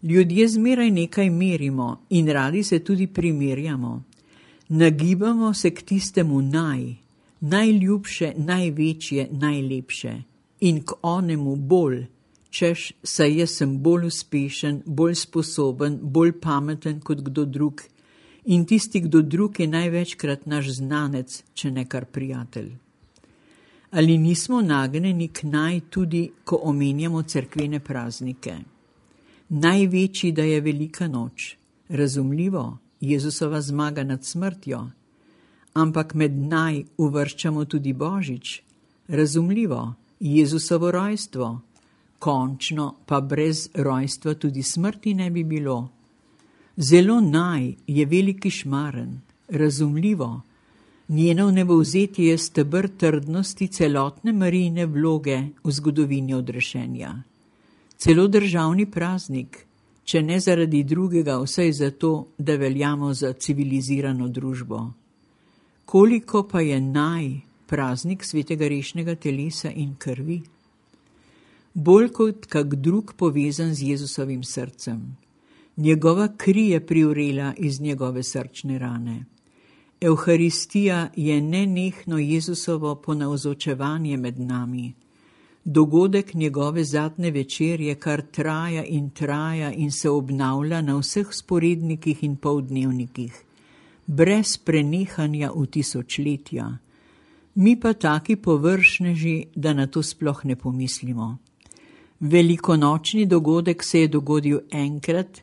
Ljudje zmeraj nekaj merimo in radi se tudi primerjamo. Nagibamo se k tistemu najljubše, največje, najlepše in k onemu bolj, češ, saj jaz sem bolj uspešen, bolj sposoben, bolj pameten kot kdo drug in tisti kdo drug je največkrat naš znanec, če ne kar prijatelj. Ali nismo nagnjeni k tudi, ko omenjamo cerkvene praznike? Največji, da je velika noč, razumljivo, Jezusova zmaga nad smrtjo, ampak med uvrščamo tudi Božič, razumljivo, Jezusovo rojstvo, končno pa brez rojstva tudi smrti ne bi bilo. Zelo je veliki šmaren, razumljivo, njeno vnebovzetje je steber trdnosti celotne Marijine vloge v zgodovini odrešenja. Celo državni praznik, če ne zaradi drugega, vsaj zato, da veljamo za civilizirano družbo. Koliko pa je praznik svetega rešnega telesa in krvi? Bolj kot kak drug povezan z Jezusovim srcem. Njegova kri je privrela iz njegove srčne rane. Evharistija je nenehno Jezusovo ponavzočevanje med nami. Dogodek njegove zadnje večerje kar traja in se obnavlja na vseh sporednikih in poldnevnikih, brez prenehanja v tisočletja. Mi pa taki površneži, da na to sploh ne pomislimo. Velikonočni dogodek se je dogodil enkrat,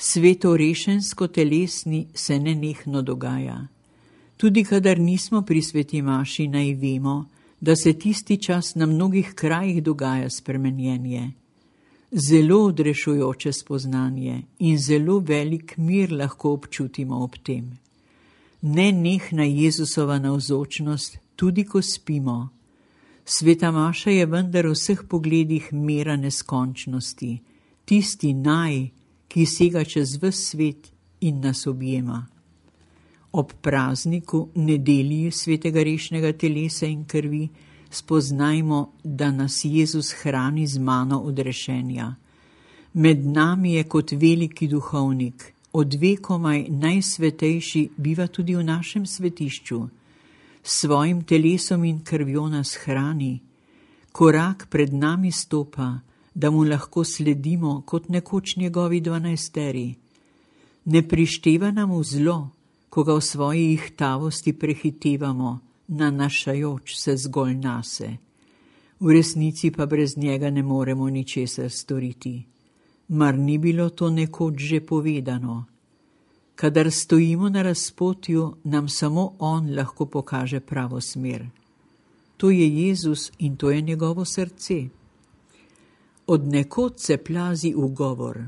svetorešensko telesni se nenehno dogaja. Tudi kadar nismo pri sveti maši, naj vemo, da se tisti čas na mnogih krajih dogaja spremenjenje. Zelo odrešujoče spoznanje in zelo velik mir lahko občutimo ob tem. Nenehna Jezusova navzočnost, tudi ko spimo. Sveta maša je vendar v vseh pogledih mera neskončnosti, tisti ki sega čez ves svet in nas objema. Ob prazniku, nedelji svetega rešnega telesa in krvi, spoznajmo, da nas Jezus hrani z mano odrešenja. Med nami je kot veliki duhovnik, odvekomaj najsvetejši biva tudi v našem svetišču. S svojim telesom in krvjo nas hrani, korak pred nami stopa, da mu lahko sledimo kot nekoč njegovi 12. Ne prišteva nam v zlo, ko ga v svoji ihtavosti prehitevamo, nanašajoč se zgolj nase. V resnici pa brez njega ne moremo ničesar storiti. Mar ni bilo to nekoč že povedano? Kadar stojimo na razpotju, nam samo on lahko pokaže pravo smer. To je Jezus in to je njegovo srce. Od nekod se plazi ugovor.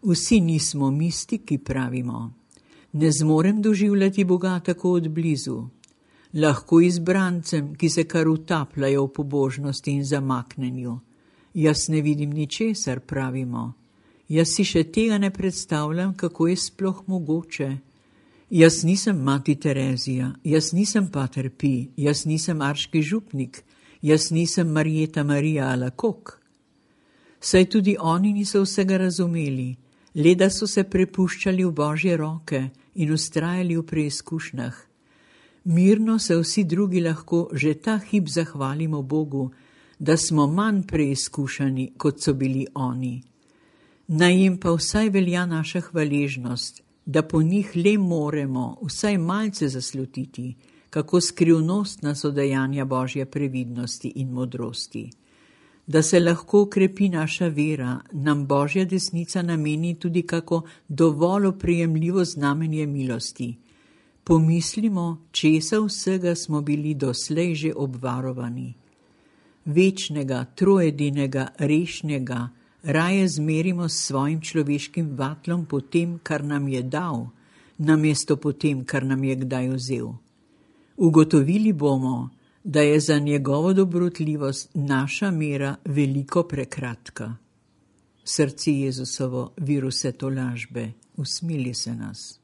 Vsi nismo mistiki, pravimo. Ne zmorem doživljati Boga tako od blizu. Lahko izbrancem, ki se kar utapljajo v pobožnosti in zamaknenju. Jaz ne vidim ničesar, pravimo. Jaz si še tega ne predstavljam, kako je sploh mogoče. Jaz nisem mati Terezija, jaz nisem pater Pi, jaz nisem arški župnik, jaz nisem Marjeta Marija Alakok. Saj tudi oni niso vsega razumeli, le da so se prepuščali v Božje roke in ustrajali v preizkušnjah. Mirno se vsi drugi lahko že ta hip zahvalimo Bogu, da smo manj preizkušani, kot so bili oni. Naj jim pa vsaj velja naša hvaležnost, da po njih le moremo vsaj malce zaslutiti, kako skrivnostna so dejanja Božje previdnosti in modrosti. Da se lahko ukrepi naša vera, nam Božja desnica nameni tudi kako dovolj oprijemljivo znamenje milosti. Pomislimo, česa vsega smo bili doslej že obvarovani. Večnega, troedinega, rešnega, raje zmerimo s svojim človeškim vatlom po tem, kar nam je dal, namesto po tem, kar nam je kdaj vzel. Ugotovili bomo, da je za njegovo dobrotljivost naša mera veliko prekratka. Srce Jezusovo, vir vse tolažbe, usmili se nas.